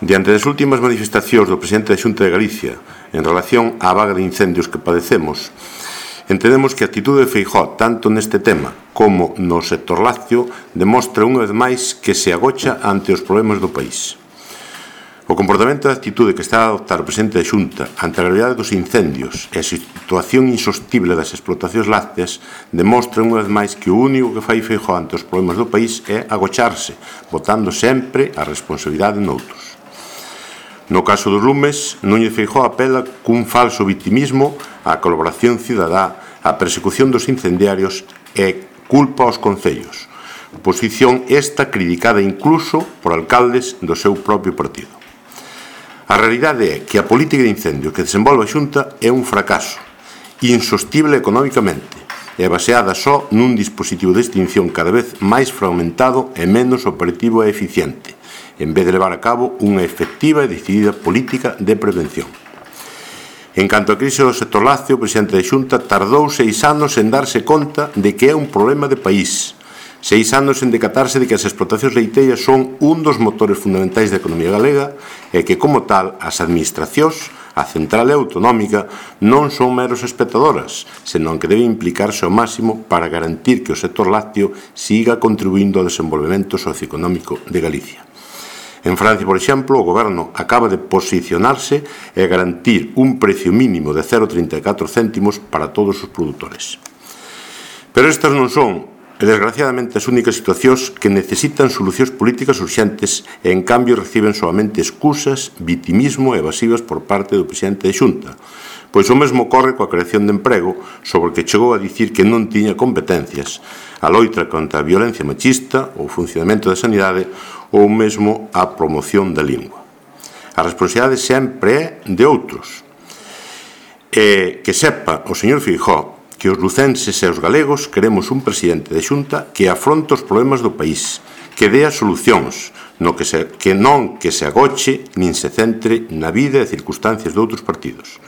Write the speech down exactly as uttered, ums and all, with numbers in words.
Diante das últimas manifestacións do presidente da Xunta de Galicia en relación á vaga de incendios que padecemos, entendemos que a actitude de Feijóo, tanto neste tema como no sector lácteo, demostra unha vez máis que se agocha ante os problemas do país. O comportamento e a actitude que está a adoptar o presidente da Xunta ante a gravidade dos incendios e a situación insostible das explotacións lácteas demostra unha vez máis que o único que fai Feijóo ante os problemas do país é agocharse, botando sempre a responsabilidade noutros. No caso dos lumes, Núñez Feijóo apela cun falso victimismo á colaboración cidadá, á persecución dos incendiarios e culpa aos concellos. Posición esta criticada incluso por alcaldes do seu propio partido. A realidade é que a política de incendio que desenvolve a Xunta é un fracaso, insostible económicamente e baseada só nun dispositivo de extinción cada vez máis fragmentado e menos operativo e eficiente, en vez de levar a cabo unha efectiva e decidida política de prevención. En canto á crise do sector lácteo, o presidente da Xunta tardou seis anos en darse conta de que é un problema de país, seis anos en decatarse de que as explotacións leiteiras son un dos motores fundamentais da economía galega e que, como tal, as administracións, a central e autonómica, non son meros espectadoras, senón que deben implicarse ao máximo para garantir que o sector lácteo siga contribuindo ao desenvolvemento socioeconómico de Galicia. En Francia, por exemplo, o goberno acaba de posicionarse e garantir un precio mínimo de cero vírgula trinta e catro céntimos para todos os produtores. Pero estas non son, e desgraciadamente, as únicas situacións que necesitan solucións políticas urxentes e, en cambio, reciben solamente excusas, vitimismo e evasivas por parte do presidente da Xunta, pois o mesmo ocorre coa creación de emprego, sobre o que chegou a dicir que non tiña competencias, a loita contra a violencia machista, o funcionamento da sanidade ou mesmo a promoción da lingua. A responsabilidade sempre é de outros. E que sepa o señor Feijóo que os lucenses e os galegos queremos un presidente de Xunta que afronte os problemas do país, que dea solucións, no que, se, que non que se agoche nin se centre na vida e circunstancias de outros partidos.